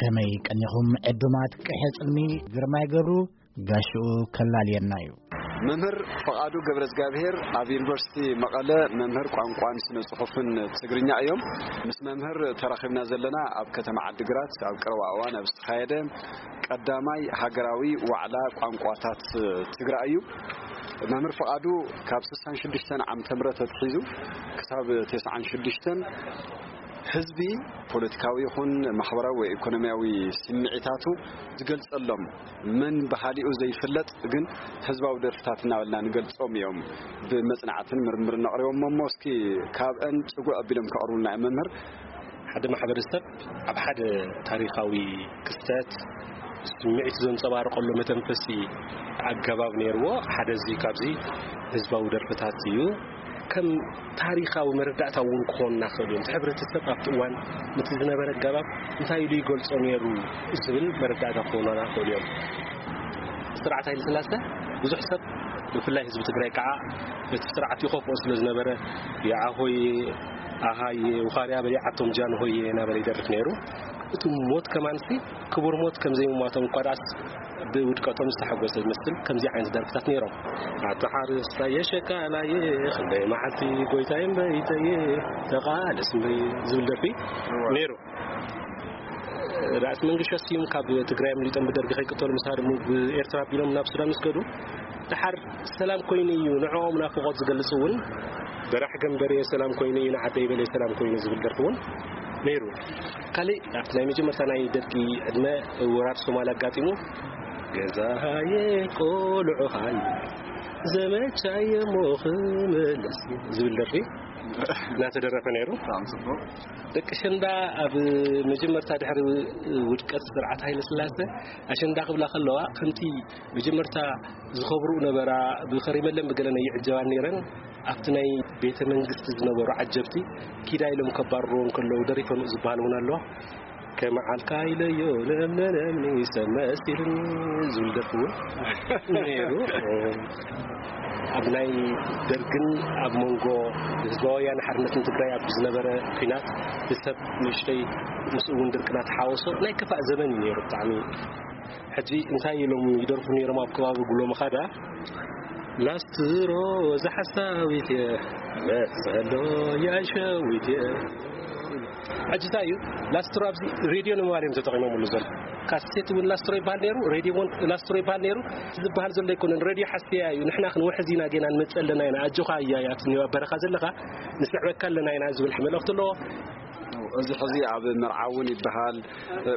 ከመይ ቀኒኹም ዕዱማት? ቅሐ ጽልሚ ግርማይ ገብሩ ጋሽኡ ከላልየና እዩ። መምህር ፍቓዱ ገብረዝጋብሔር ኣብ ዩኒቨርሲቲ መቐለ መምህር ቋንቋን ስነ ጽሑፍን ትግርኛ እዮም። ምስ መምህር ተራኺብና ዘለና ኣብ ከተማ ዓዲግራት ኣብ ቀረባ እዋን ኣብ ዝተኻየደ ቀዳማይ ሃገራዊ ዋዕላ ቋንቋታት ትግራይ እዩ። መምህር ፍቓዱ ካብ ስሳን ሽዱሽተን ዓመተ ምህረት ኣትሒዙ ክሳብ ተስዓን ሽዱሽተን ህዝቢ ፖለቲካዊ ይኹን ማሕበራዊ ወይ ኢኮኖሚያዊ ስምዒታቱ ዝገልጸሎም መን ባህሊኡ ዘይፍለጥ ግን ህዝባዊ ደርፍታት እናበልና ንገልጾም እዮም። ብመጽናዕትን ምርምርን ነቕርቦም እሞ እስኪ ካብአን ጽጉዕ ኣቢሎም ከቕርቡልና እዮም መምህር። ሓደ ማሕበረሰብ ኣብ ሓደ ታሪኻዊ ክስተት ስምዒት ዘንጸባርቐሉ መተንፈሲ ኣገባብ ነይርዎ። ሓደ እዚ ካብዚ ህዝባዊ ደርፍታት እዩ። ከም ታሪኻዊ መረዳእታ እውን ክኾኑና ክኽእሉ እዮም። እቲ ሕብረተሰብ ኣብቲ እዋን ነቲ ዝነበረ ኣገባብ እንታይ ኢሉ ይገልጾ ነይሩ ዝብል መረዳእታ ክኾኑና ክኽእሉ እዮም። ስርዓት ሃይለ ስላሴ ብዙሕ ሰብ ብፍላይ ህዝቢ ትግራይ ከዓ እቲ ስርዓት ይኸፍኦ ስለ ዝነበረ የዓኾየ ኣሃየ ውኻርያ በሊዓቶም ጃንሆየ እናበለ ይደርፍ ነይሩ። እቲ ሞት ከማንሲ ክቡር ሞት ከም ዘይምሟቶም እኳ ደኣስ ብውድቀቶም ዝተሓጎሰ ዝመስል ከምዚ ዓይነት ደርፍታት ነይሮም። ኣታ ሓረስታየ ሸቃላየ ክንደይ መዓልቲ ጎይታየ እምበይተየ ተቓለስ እምበይ ዝብል ደርፊ ነይሩ። ራእሲ መንግሻ ስዩም ካብ ትግራይ ኣምሊጦም ብደርጊ ከይቅተሉ ምስ ሃደሙ ብኤርትራ ኣቢሎም ናብ ሱዳን ምስ ከዱ ደሓር ሰላም ኮይኑ እዩ ንዕኦም ናፍቖት ዝገልጽ እውን በራሕ ገንበሬ ሰላም ኮይኑ እዩ ንዓደይ በለ ሰላም ኮይኑ ዝብል ደርፊ እውን ነይሩ። ካልእ ኣብቲ ናይ መጀመርታ ናይ ደርጊ ዕድመ ወራር ሶማል ኣጋጢሙ ገዛሃየ ቆልዑኻየ ዘመቻየ ሞ ክምለስ ዝብል ደርፊ እናተደረፈ ነይሩ። ደቂ ሸንዳ ኣብ መጀመርታ ድሕሪ ውድቀት ስርዓት ሃይለ ስላሰ ኣሸንዳ ክብላ ከለዋ ከምቲ መጀመርታ ዝኸብሩ ነበራ ብኸሪመለን ብገለን ኣይዕጀባን ነይረን። ኣብቲ ናይ ቤተ መንግስቲ ዝነበሩ ዓጀብቲ ኪዳ ኢሎም ከባርርዎ እንከለዉ ደሪፈንኡ ዝበሃል እውን ኣሎ። ከመዓልካ ኢለዮ ለምለለምኒ ሰብ መሲልኒ ዝብል ደርፊ እውን ነይሩ። ኣብ ናይ ደርግን ኣብ መንጎ ህዝባዊ ወያነ ሓርነትን ትግራይ ኣብ ዝነበረ ኲናት ብሰብ ንእሽተይ ምስኡ እውን ድርቅና ተሓወሶ ናይ ክፋእ ዘመን እዩ ነይሩ ብጣዕሚ። ሕጂ እንታይ ኢሎም ይደርፉ ነይሮም ኣብ ከባቢ ጉሎ መኻዳ ላስትሮ ዝሓሳዊት እየ መሰሎ ያሸዊት እየ። ሕጂ እንታይ እዩ ላስትሮ ኣብዚ ሬድዮ ንምባል እዮም ተጠቒሞምሉ ዘሎ። ካሴት እውን ላስትሮ ይበሃል ነይሩ፣ ሬድዮ እውን ላስትሮ ይበሃል ነይሩ። ዝበሃል ዘሎ ኣይኮነን፣ ሬድዮ ሓስያ እዩ። ንሕና ክንውሕዝ ኢና፣ ጌና ንመጽእ ኣለና ኢና፣ ኣጆኻ እያ እያ፣ ኣብቲ ኣብ በረኻ ዘለኻ ንስዕበካ ኣለና ኢና ዝብል መልእኽቲ ኣለዎ። እዚ ሕዚ ኣብ መርዓ እውን ይበሃል፣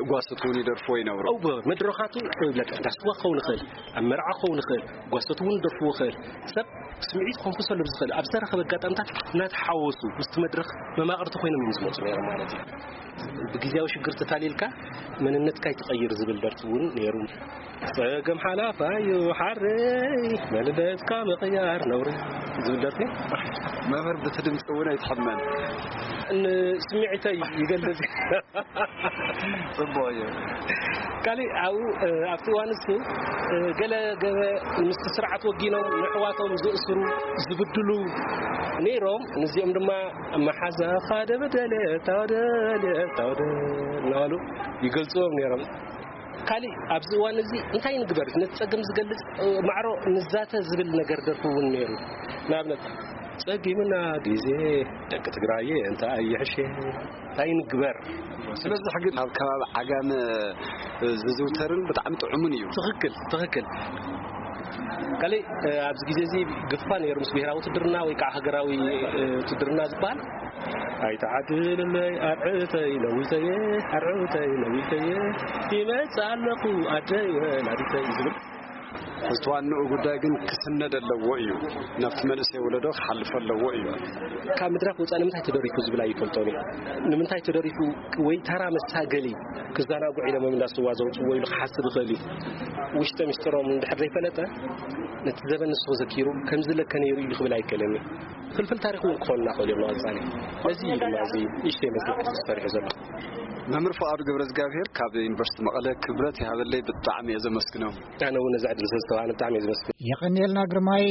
ጓሶት እውን ይደርፍዎ ይነብሩ። እወ፣ መድረኻቱ ይብለካ፣ እንዳ ስዋ ክኸውን ይኽእል፣ ኣብ መርዓ ክኸውን ይኽእል፣ ጓሶት እውን ይደርፍዎ ይኽእል። ሰብ ስምዒት ከንፍሰሉ ብዝኽእል ኣብ ዝተረኸበ ኣጋጣምታት እናተሓወሱ ምስቲ መድረኽ መማቕርቲ ኮይኖም እዮም ዝመፁ ነይሮም ማለት እዩ። ብግዜያዊ ሽግር ተታሊልካ መንነትካ ይትቐይር ዝብል ደርፊ እውን ነይሩ። ጸገም ሓላፋዩ ሓረይ መንነትካ ምቕያር ነውሪ ዝብል ደርፊ። መምህር ብቲ ድምፂ እውን ኣይትሕመን። ንስምዒተይ ይገልጽ። ጽቡቕ እዩ። ካልእ ኣብኡ፣ እ፣ ኣብቲ እዋን እሱ፣ እ፣ ገለ ገበ ምስቲ ስርዓት ወጊኖም ንኣሕዋቶም ዝእስሩ፣ ዝብድሉ ነይሮም። ንዚኦም ድማ መሓዛኻ ደበደለ፣ ታወደለ፣ ታወደለ እናበሉ ይገልጽዎም ነይሮም። ካልእ ኣብዚ እዋን እዚ እንታይ ንግበር? ነቲ ጸገም ዝገልጽ፣ እ፣ ማዕሮ ንዛተ ዝብል ነገር ደርፊ እውን ነይሩ። ንኣብነት ጸጊምና ግዜ ደቂ ትግራይ እንታይ ይሕሸ እንታይ ንግበር? ስለዚ ሕጂ ኣብ ከባቢ ዓጋመ ዝዝውተርን ብጣዕሚ ጥዑምን እዩ። ትኽክል፣ ትኽክል። ካልእ፣ እ፣ ኣብዚ ግዜ እዚ ግፋ ነይሩ ምስ ብሄራዊ ውትድርና ወይ ከዓ ሃገራዊ፣ እ፣ ውትድርና ዝበሃል። ኣይተዓድልለይ ኣርዕተይ ነዊተየ፣ ኣርዕተይ ነዊተየ፣ ይመጽእ ኣለኹ ኣደይ ወላዲተይ ዝብል። እቲ ዋንኡ ጉዳይ ግን ክስነድ ኣለዎ እዩ። ናብቲ መንእሰይ ወለዶ ክሓልፍ ኣለዎ እዩ። ካብ ምድራፍ ወፃእ ንምንታይ ተደሪፉ ዝብል ኣይፈልጦን እዩ። ንምንታይ ተደሪፉ ወይ ተራ መሳገሊ ክዘናጉዕ ኢሎም እንዳስዋ ዘውፅዎ ኢሉ ክሓስብ ይኽእል እዩ። ውሽጠ ምስጢሮም እንድሕር ዘይፈለጠ ነቲ ዘበን ንሱ ዘኪሩ ከምዚ ለከ ነይሩ ኢሉ ክብል ኣይክእልን እዩ። ፍልፍል ታሪኽ እውን ክኾኑና ክእል እዮም ንቐፃሊ። ነዚ እዩ ድማ እዚ ንእሽተይ መፅናዕቲ ዝሰርሑ ዘሎ። መምህር ፍቓዱ ገብረ እግዚኣብሔር ካብ ዩኒቨርሲቲ መቐለ ክብረት ይሃበለይ፣ ብጣዕሚ እየ ዘመስግኖም። ኣነ እውን ነዚ ዕድል ስለ ዝተዋሃበኒ ብጣዕሚ እየ ዘመስግን። የቐንየልና ግርማይ።